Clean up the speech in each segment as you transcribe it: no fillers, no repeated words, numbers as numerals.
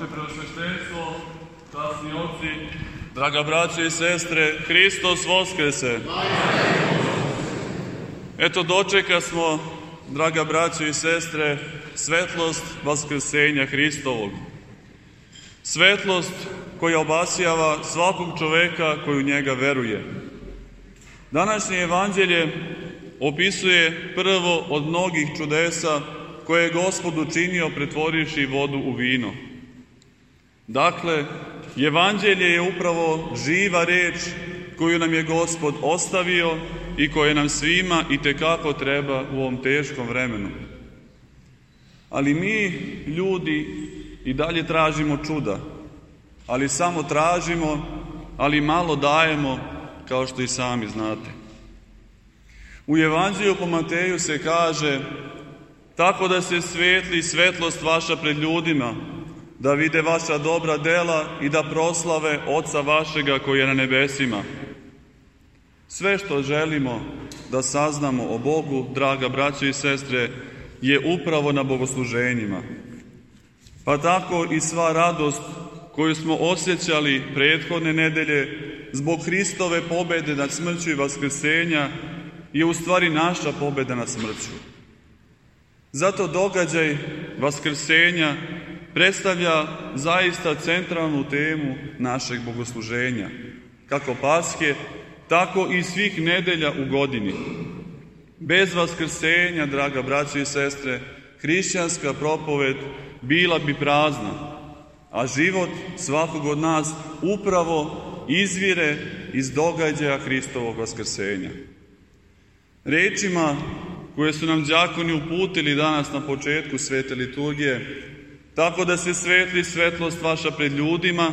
Vaše preosveštenstvo, časni oci, draga braće i sestre, Hristos Voskrese! Eto, dočeka smo, draga braće i sestre, svetlost Vaskrsenja Hristovog. Svetlost koja obasjava svakog čoveka koji u njega veruje. Današnje evanđelje opisuje prvo od mnogih čudesa koje je Gospod učinio pretvorivši vodu u vino. Dakle, evanđelje je upravo živa reč koju nam je Gospod ostavio i koja nam svima itekako treba u ovom teškom vremenu. Ali mi, ljudi, i dalje tražimo čuda, ali samo tražimo, ali malo dajemo, kao što i sami znate. U evanđelju po Mateju se kaže: tako da se svetli svetlost vaša pred ljudima, da vide vaša dobra dela i da proslave Oca vašega koji je na nebesima. Sve što želimo da saznamo o Bogu, draga braćo i sestre, je upravo na bogosluženjima. Pa tako i sva radost koju smo osjećali prethodne nedelje zbog Hristove pobede nad smrću i vaskrsenja je u stvari naša pobeda nad smrću. Zato događaj vaskrsenja predstavlja zaista centralnu temu našeg bogosluženja, kako Paske, tako i svih nedelja u godini. Bez vaskrsenja, draga braćo i sestre, hrišćanska propoved bila bi prazna, a život svakog od nas upravo izvire iz događaja Hristovog vaskrsenja. Rečima koje su nam đakoni uputili danas na početku svete liturgije: tako da se svetli svetlost vaša pred ljudima,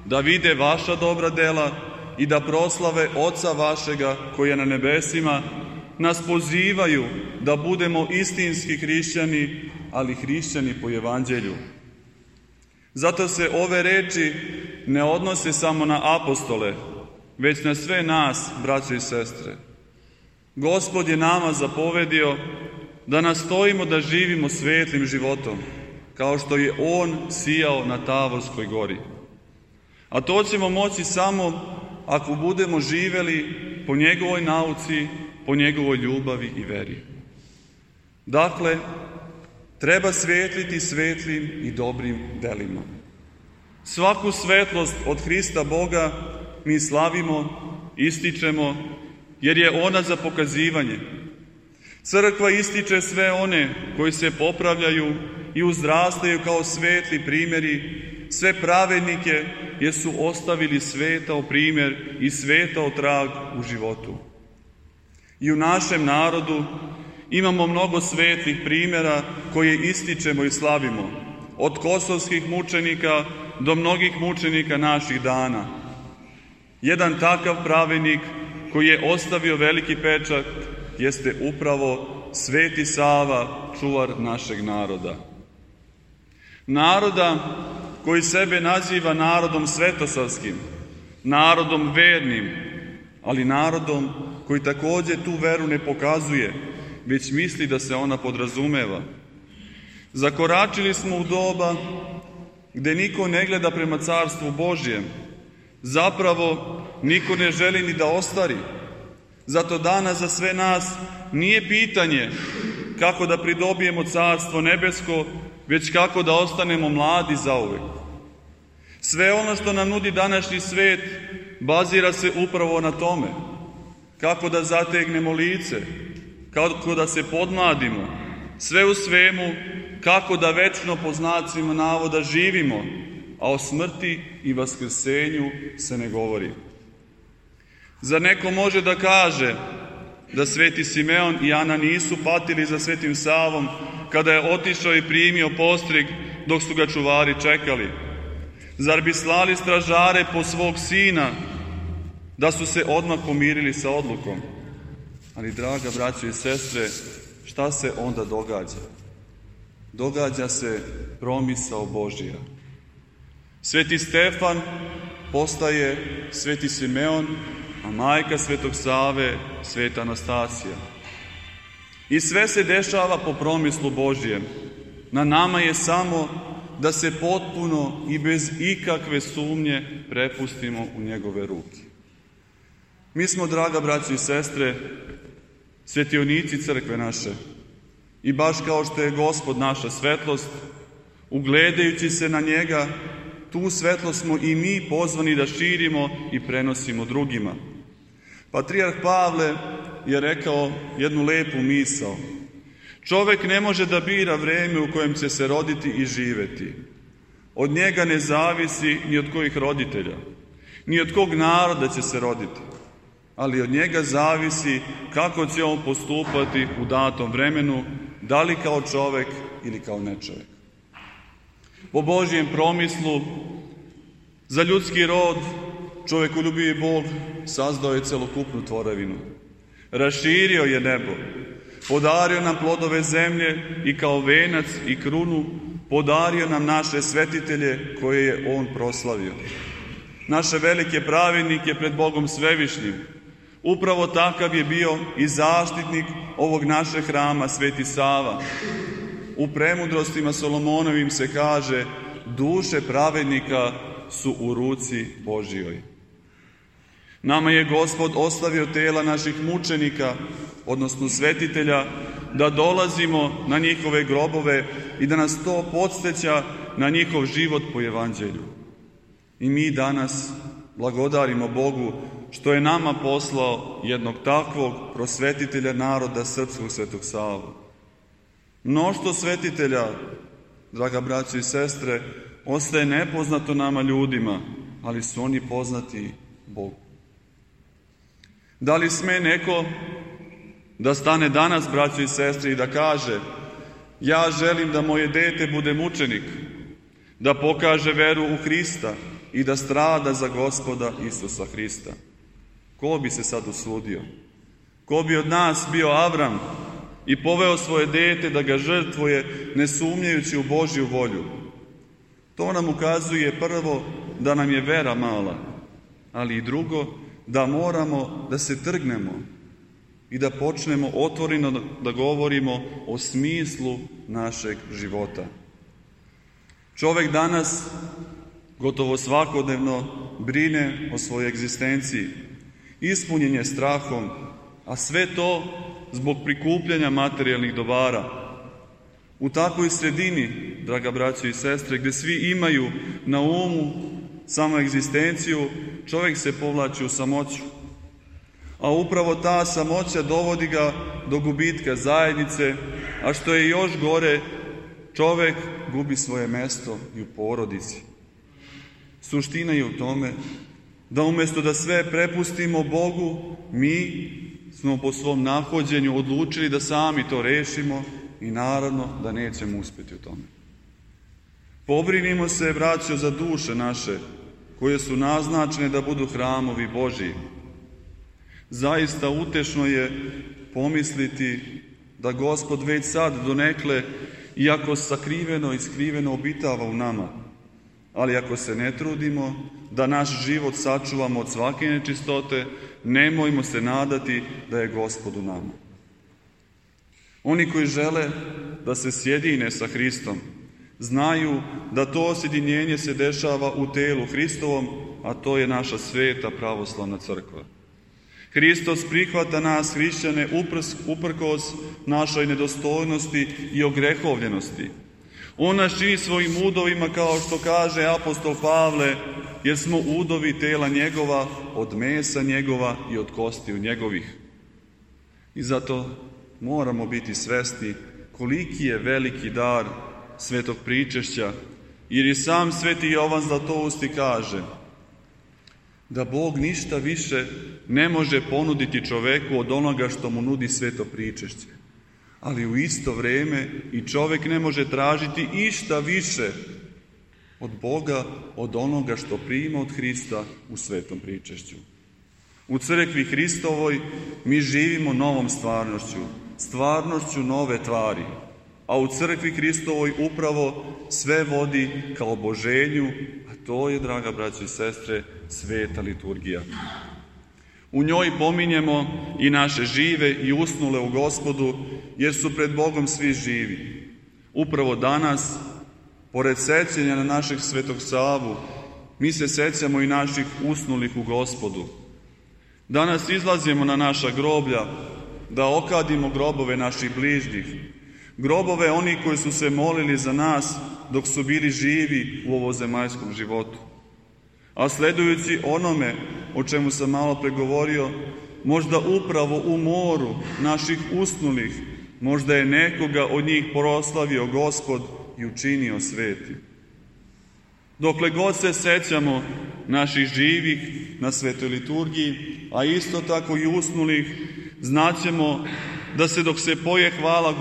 da vide vaša dobra dela i da proslave Oca vašega koji je na nebesima, nas pozivaju da budemo istinski hrišćani, ali hrišćani po evanđelju. Zato se ove reči ne odnose samo na apostole, već na sve nas, braćo i sestre. Gospod je nama zapovedio da nastojimo da živimo svetlim životom, kao što je On sijao na Tavorskoj gori. A to ćemo moći samo ako budemo živeli po njegovoj nauci, po njegovoj ljubavi i veri. Dakle, treba svetliti svetlim i dobrim delima. Svaku svetlost od Hrista Boga mi slavimo, ističemo, jer je ona za pokazivanje. Crkva ističe sve one koji se popravljaju i uzrastaju kao svetli primjeri, sve pravednike jer su ostavili svetao primjer i svetao trag u životu. I u našem narodu imamo mnogo svetlih primjera koje ističemo i slavimo, od kosovskih mučenika do mnogih mučenika naših dana. Jedan takav pravednik koji je ostavio veliki pečat jeste upravo Sveti Sava, čuvar našeg naroda. Naroda koji sebe naziva narodom svetosavskim, narodom vernim, ali narodom koji također tu veru ne pokazuje, već misli da se ona podrazumeva. Zakoračili smo u doba gde niko ne gleda prema carstvu Božjem. Zapravo, niko ne želi ni da ostari. Zato danas za sve nas nije pitanje kako da pridobijemo carstvo nebesko, već kako da ostanemo mladi zauvek. Sve ono što nam nudi današnji svet bazira se upravo na tome. Kako da zategnemo lice, kako da se podmladimo, sve u svemu kako da večno po znacima navoda živimo, a o smrti i vaskrsenju se ne govori. Zar neko može da kaže da sveti Simeon i Ana nisu patili za svetim Savom kada je otišao i primio postrig dok su ga čuvari čekali? Zar bi slali stražare po svog sina da su se odmah pomirili sa odlukom? Ali, draga braćo i sestre, šta se onda događa? Događa se promisao Božja. Sveti Stefan postaje sveti Simeon, a majka svetog Save sveta Anastasija. I sve se dešava po promislu Božjem. Na nama je samo da se potpuno i bez ikakve sumnje prepustimo u njegove ruke. Mi smo, draga braćo i sestre, svetionici crkve naše i baš kao što je Gospod naša svetlost, ugledajući se na njega, tu svetlost smo i mi pozvani da širimo i prenosimo drugima. Patrijarh Pavle je rekao jednu lepu misao. Čovek ne može da bira vreme u kojem će se roditi i živeti. Od njega ne zavisi ni od kojih roditelja, ni od kog naroda će se roditi, ali od njega zavisi kako će on postupati u datom vremenu, da li kao čovek ili kao nečovek. Po Božjem promislu, za ljudski rod čovekoljubivi Bog sazdao je celokupnu tvorevinu. Raširio je nebo, podario nam plodove zemlje i kao venac i krunu podario nam naše svetitelje koje je on proslavio. Naše velike pravednike pred Bogom Svevišnjim. Upravo takav je bio i zaštitnik ovog našeg hrama, Sveti Sava. U premudrostima Solomonovim se kaže: duše pravednika su u ruci Božjoj. Nama je Gospod ostavio tela naših mučenika, odnosno svetitelja, da dolazimo na njihove grobove i da nas to podsjeća na njihov život po evanđelju. I mi danas blagodarimo Bogu što je nama poslao jednog takvog prosvetitelja naroda srpskog, Svetog Savu. Mnoštvo svetitelja, draga braćo i sestre, ostaje nepoznato nama ljudima, ali su oni poznati Bogu. Da li sme neko da stane danas, braćo i sestre, i da kaže: ja želim da moje dete bude mučenik, da pokaže veru u Hrista i da strada za Gospoda Isusa Hrista? Ko bi se sad usudio? Ko bi od nas bio Avram i poveo svoje dete da ga žrtvuje, ne sumnjajući u Božju volju? To nam ukazuje prvo da nam je vera mala, ali i drugo da moramo da se trgnemo i da počnemo otvoreno da govorimo o smislu našeg života. Čovek danas gotovo svakodnevno brine o svojoj egzistenciji, ispunjen je strahom, a sve to zbog prikupljanja materijalnih dobara. U takvoj sredini, draga braćo i sestre, gde svi imaju na umu samo egzistenciju, čovjek se povlači u samoću. A upravo ta samoća dovodi ga do gubitka zajednice, a što je još gore, čovjek gubi svoje mesto i u porodici. Suština je u tome da umjesto da sve prepustimo Bogu, mi smo po svom nahođenju odlučili da sami to rešimo i naravno da nećemo uspjeti u tome. Pobrinimo se, braćo, za duše naše, koje su naznačene da budu hramovi Božji. Zaista utešno je pomisliti da Gospod već sad donekle, iako sakriveno i skriveno, obitava u nama. Ali ako se ne trudimo da naš život sačuvamo od svake nečistote, nemojmo se nadati da je Gospod u nama. Oni koji žele da se sjedine sa Hristom, znaju da to sjedinjenje se dešava u telu Hristovom, a to je naša sveta pravoslavna crkva. Hristos prihvata nas, hrišćane, uprkos našoj nedostojnosti i ogrehovljenosti. On nas čini svojim udovima, kao što kaže apostol Pavle, jer smo udovi tela njegova, od mesa njegova i od kostiju njegovih. I zato moramo biti svesni koliki je veliki dar svetog pričešća, jer i sam sveti Jovan Zlatousti kaže da Bog ništa više ne može ponuditi čoveku od onoga što mu nudi sveto pričešće. Ali u isto vrijeme i čovjek ne može tražiti išta više od Boga, od onoga što prima od Hrista u svetom pričešću. U crkvi Hristovoj mi živimo novom stvarnošću, stvarnošću nove tvari, a u crkvi Hristovoj upravo sve vodi ka oboženju, a to je, draga braćo i sestre, sveta liturgija. U njoj pominjemo i naše žive i usnule u Gospodu, jer su pred Bogom svi živi. Upravo danas Pored sećanja na našeg Svetog Savu, mi se sećamo i naših usnulih u Gospodu. Danas izlazimo na naša groblja da okadimo grobove naših bližnjih, grobove onih koji su se molili za nas dok su bili živi u ovozemaljskom životu. A sledujući onome o čemu sam malo pregovorio, možda upravo u moru naših usnulih, možda je nekoga od njih proslavio Gospod i učinio svetim. Dokle god se sećamo naših živih na svetoj liturgiji, a isto tako i usnulih, znaćemo da se dok se poje hvala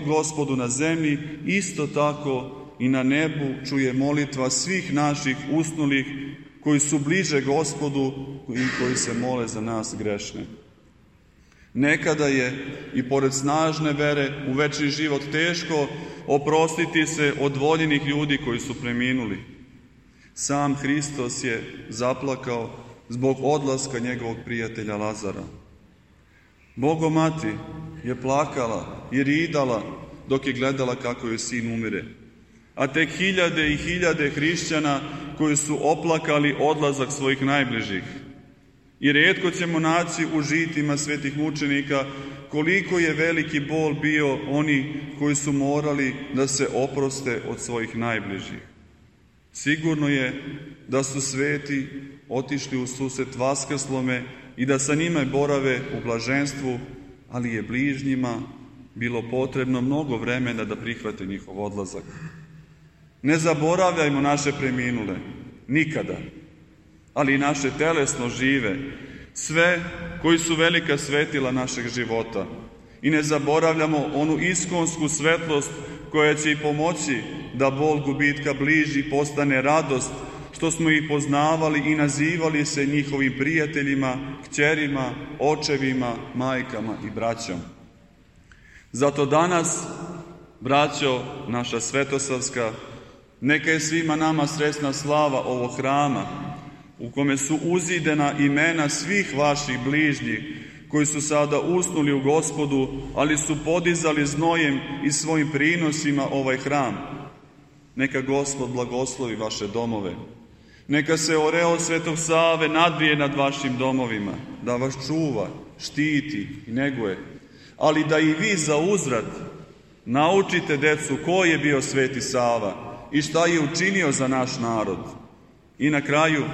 Gospodu na zemlji, isto tako i na nebu čuje molitva svih naših usnulih koji su bliže Gospodu i koji se mole za nas grešne. Nekada je i pored snažne vere u večni život teško oprostiti se od voljenih ljudi koji su preminuli. Sam Hristos je zaplakao zbog odlaska njegovog prijatelja Lazara. Bogomati je plakala i ridala dok je gledala kako joj sin umire. A tek hiljade i hiljade hrišćana koji su oplakali odlazak svojih najbližih. I rijetko ćemo naći u žitima svetih mučenika koliko je veliki bol bio oni koji su morali da se oproste od svojih najbližih. Sigurno je da su sveti otišli u susret vaskrslome i da sa njima borave u blaženstvu, ali je bližnjima bilo potrebno mnogo vremena da prihvate njihov odlazak. Ne zaboravljajmo naše preminule, nikada, ali i naše telesno žive, sve koji su velika svetila našeg života. I ne zaboravljamo onu iskonsku svetlost koja će i pomoći da bol gubitka bližnjih postane radost, što smo ih poznavali i nazivali se njihovim prijateljima, kćerima, očevima, majkama i braćom. Zato danas, braćo naša svetosavska, neka je svima nama sresna slava ovog hrama, u kome su uzidena imena svih vaših bližnjih, koji su sada usnuli u Gospodu, ali su podizali znojem i svojim prinosima ovaj hram. Neka Gospod blagoslovi vaše domove. Neka se oreol Svetog Save nadvije nad vašim domovima, da vas čuva, štiti i neguje, ali da i vi za uzvrat naučite decu ko je bio Sveti Sava i šta je učinio za naš narod. I na kraju,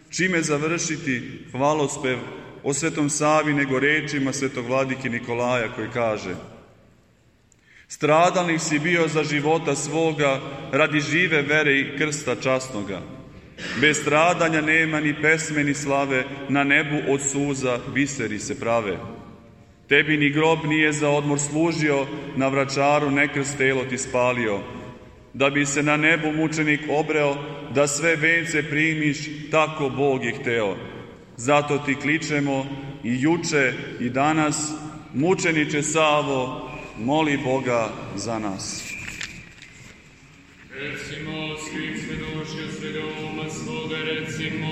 čime završiti hvalospev o Svetom Savi nego rečima Svetog vladike Nikolaja koji kaže: stradalnik si bio za života svoga radi žive vere i krsta časnoga. Bez stradanja nema ni pesme ni slave, na nebu od suza biseri se prave. Tebi ni grob nije za odmor služio, na Vračaru nekrst telo ti spalio. Da bi se na nebu mučenik obreo, da sve vence primiš, tako Bog je hteo. Zato ti kličemo i juče i danas, mučeniče Savo, moli Boga za nas. Recimo svih svedočja svedoma svoga, recimo.